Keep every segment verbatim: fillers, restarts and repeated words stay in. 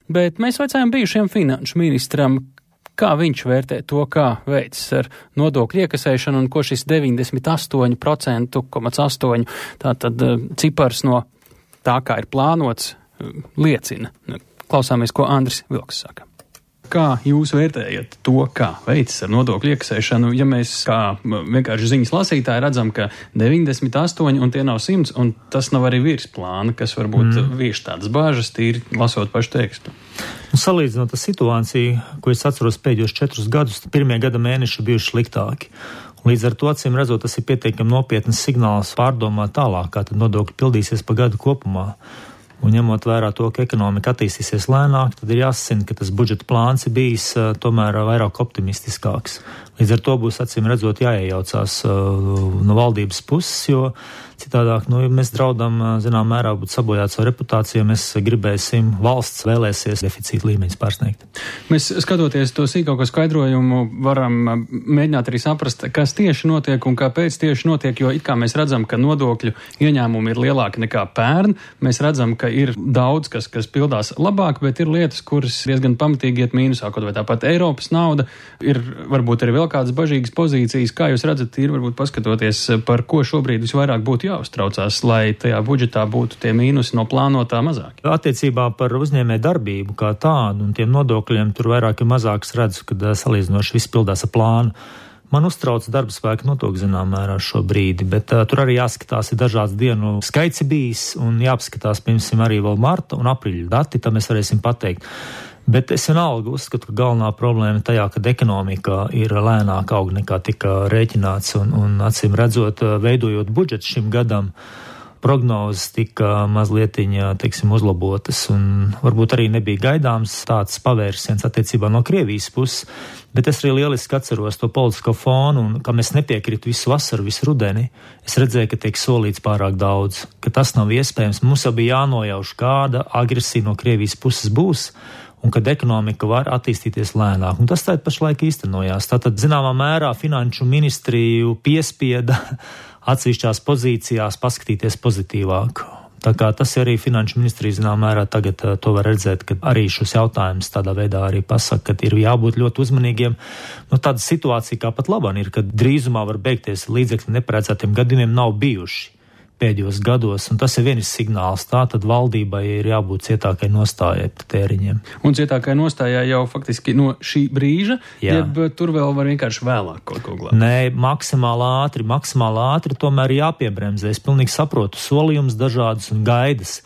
Bet mēs vaicājām bijušiem finanšu ministram, kā viņš vērtē to, kā veids ar nodokļu iekasēšanu un ko šis deviņdesmit astoņi procenti, astoņi tātad cipars no tā, kā ir plānots, liecina. Klausāmies, ko Andris Vilks saka. Kā jūs vērtējat to, kā veids ar nodokļu iekasēšanu, ja mēs kā vienkārši ziņas lasītāji redzam, ka deviņdesmit astoņi un tie nav simts, un tas nav arī virs plāna, kas varbūt mm. vieš tādas bāžas, tīri lasot pašu tekstu? Salīdzinot ar situāciju, ko es atceros pēdējos četrus gadus, pirmie gada mēneši bijuši sliktāki. Līdz ar to, acīm redzot, tas ir pietiekami nopietnas signāls pārdomāt tālāk, kā tad nodokļi pildīsies pa gadu kopumā. Un ņemot vērā to, ka ekonomika attīstīsies lēnāk, tad ir jāsacina, ka tas budžeta plāns ir bijis uh, tomēr vairāk optimistiskāks. Līdz ar to būs acīm redzot jāiejaucās uh, no valdības puses, jo citādāk, nu, ja mēs draudam, zinām, mērā būt sabojāt savu reputāciju, ja mēs gribēsim, valsts vēlēsies deficīta līmeņus pārsniegt. Mēs, skatoties to sīkāko skaidrojumu, varam mēģināt arī saprast, kas tieši notiek un kāpēc tieši notiek, jo it kā mēs redzam, ka nodokļu ieņēmumi ir lielāki nekā pērn, mēs redzam, ka ir daudz, kas, kas pildās labāk, bet ir lietas, kuras diezgan pamatīgi iet mīnusā, kaut vai tāpat Eiropas nauda, ir varbūt arī vēl kādas bažīgas pozīcijas, kā jūs redzat, ir varbūt paskatoties, par ko šobrīd visvairāk būtu jāuztraucās, lai tajā budžetā būtu tie mīnusi no plānotā mazāki. Attiecībā par uzņēmē darbību kā tādu un tiem nodokļiem tur vairāk ir mazāks redzu, kad salīdzinoši viss pildās ar plānu. Man uztrauc darba spēka nodokļu zinām mērā šo brīdi, bet uh, tur arī jāskatās, ir dažāds dienu skaits bijis un jāpaskatās, piemēram, arī vēl marta un aprīļa dati, tad mēs varēsim pateikt. Bet es vienalga uzskatu, ka galvenā problēma tajā, kad ekonomika ir lēnāk aug nekā tika rēķināts un, un acīm redzot, veidojot budžetu šim gadam, prognozes tika mazlietiņa, teiksim, uzlabotas un varbūt arī nebija gaidāms tāds pavērsiens attiecībā no Krievijas puses, bet es arī lieliski atceros to politisko fonu un kam es nepiekritu visu vasaru, visu rudeni, es redzēju, ka tiek solīts pārāk daudz, ka tas nav iespējams, mums jau bija jānojauš, kāda agresija no Krievijas puses būs, un kad ekonomika var attīstīties lēnāk. Un tas tātad pašlaik īstenojās. Tātad, zināmā mērā, finanšu ministriju piespieda atsevišķās pozīcijās paskatīties pozitīvāk. Tā kā tas arī finanšu ministrija, zināmā mērā, tagad to var redzēt, ka arī šos jautājumus tādā veidā arī pasaka, ka ir jābūt ļoti uzmanīgiem. Nu, tāda situācija kā pat labāk ir, kad drīzumā var beigties līdzekļi neparedzētiem gadījumiem nav bijuši pēdējos gados, un tas ir viens signāls. Tā tad valdībai ir jābūt cietākai nostājai par tēriņiem. Un cietākai nostājai jau faktiski no šī brīža, Jā. jeb tur vēl var vienkārši vēlāk kaut ko glābt? Nē, maksimāli ātri, maksimāli ātri tomēr jāpiebremzē. Es pilnīgi saprotu solījumus dažādas un gaidas,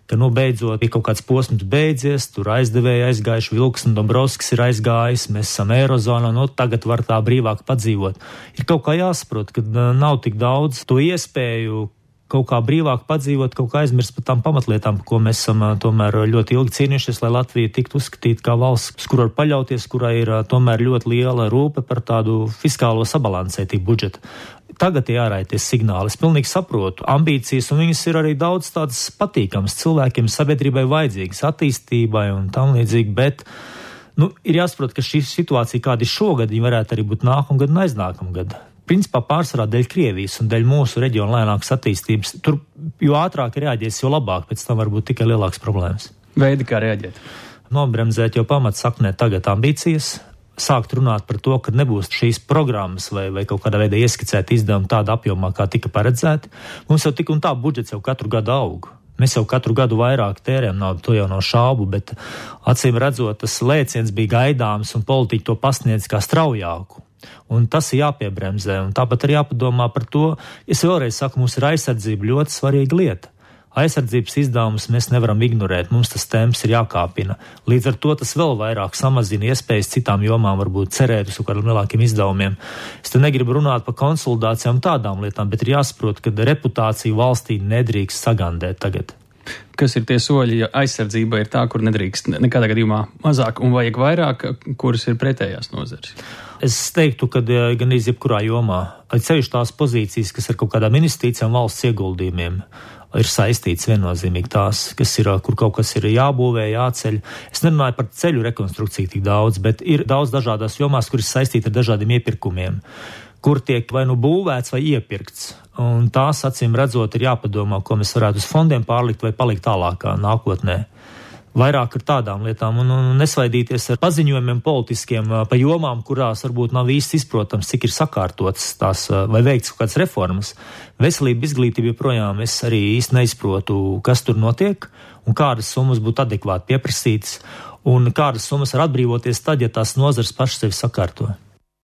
ka, nu, beidzot, ir kaut kāds posms beidzies, tur aizdevēji aizgājuši, Vilks un Dombrovskis ir aizgājis, mēs esam Eirozonā, nu, tagad var tā brīvāk padzīvot. Ir kaut kā jāsaprot, ka nav tik daudz to iespēju kaut kā brīvāk padzīvot, kaut kā aizmirst par tām pamatlietām, par ko mēs esam tomēr ļoti ilgi cīnījušies, lai Latvija tiktu uzskatīta kā valsts, kur var paļauties, kurai ir tomēr ļoti liela rūpe par tādu fiskālo sabalansētību budžetu. Tagad ir jāraities signāli. Es pilnīgi saprotu ambīcijas, un viņas ir arī daudz tādas patīkamas cilvēkiem, sabiedrībai vajadzīgas, attīstībai un tam līdzīgi, bet nu, ir jāsaprot, ka šī situācija, kāda ir šogad, viņa varētu arī būt nākamgad un aiznākamgad. Principā pārsvarā dēļ Krievijas un dēļ mūsu reģiona lēnākas attīstības. Tur, jo ātrāk reaģēs, jo labāk, pēc tam var būt tikai lielākas problēmas. Veidi, kā reaģēt? Nobremzēt jau pamats saknē tagad ambīcijas, sākt runāt par to, ka nebūs šīs programmas vai, vai kaut kādā veidā ieskicēt izdevumu tāda apjomā, kā tika paredzēti. Mums jau tik un tā budžets jau katru gadu aug. Mēs jau katru gadu vairāk tērējam naudu, to jau nav šaubu, bet acīm redzot, tas lēciens bija gaidāms un politiķi to pasniedz kā straujāku. Un tas ir jāpiebremzē, un tāpat arī jāpadomā par to. Es vēlreiz saku, mums ir aizsardzība ļoti svarīga lieta. Aizsardzības izdevumus mēs nevaram ignorēt, mums tas temps ir jākāpina. Līdz ar to tas vēl vairāk samazina iespējas citām jomām varbūt cerēt uz kādiem lielākiem izdevumiem. Es te negribu runāt par konsolidācijām tādām lietām, bet ir jāsaprot, ka reputācija valstī nedrīkst sagandēt tagad. Kas ir tie soļi, ja aizsardzība ir tā, kur nedrīkst nekādā gadījumā mazāk un vajag vairāk, kuras ir pretējās nozares? Es teiktu, ka gan iz jebkurā jomā, ceļš tās pozīcijas, kas ar kaut kādām investīcijām valsts ieguldījumiem, ir saistīts viennozīmīgi tās, kas ir, kur kaut kas ir jābūvē, jāceļ. Es nerunāju par ceļu rekonstrukciju tik daudz, bet ir daudz dažādās jomās, kuras saistīti ar dažādiem iepirkumiem, kur tiek vai nu būvēts vai iepirkts. Un tās, acīm redzot, ir jāpadomā, ko mēs varētu uz fondiem pārlikt vai palikt tālākā nākotnē. vairāk ar tādām lietām un, un nesvaidīties ar paziņojumiem politiskiem pa jomām, kurās varbūt nav īsti izprotams, cik ir sakārtotas tās vai veikts kaut kādas reformas. Veselība, izglītība joprojām es arī īsti neizprotu, kas tur notiek un kādas summas būtu adekvāti pieprasītas un kādas summas var atbrīvoties tad, ja tās nozars pašas sevi sakārto.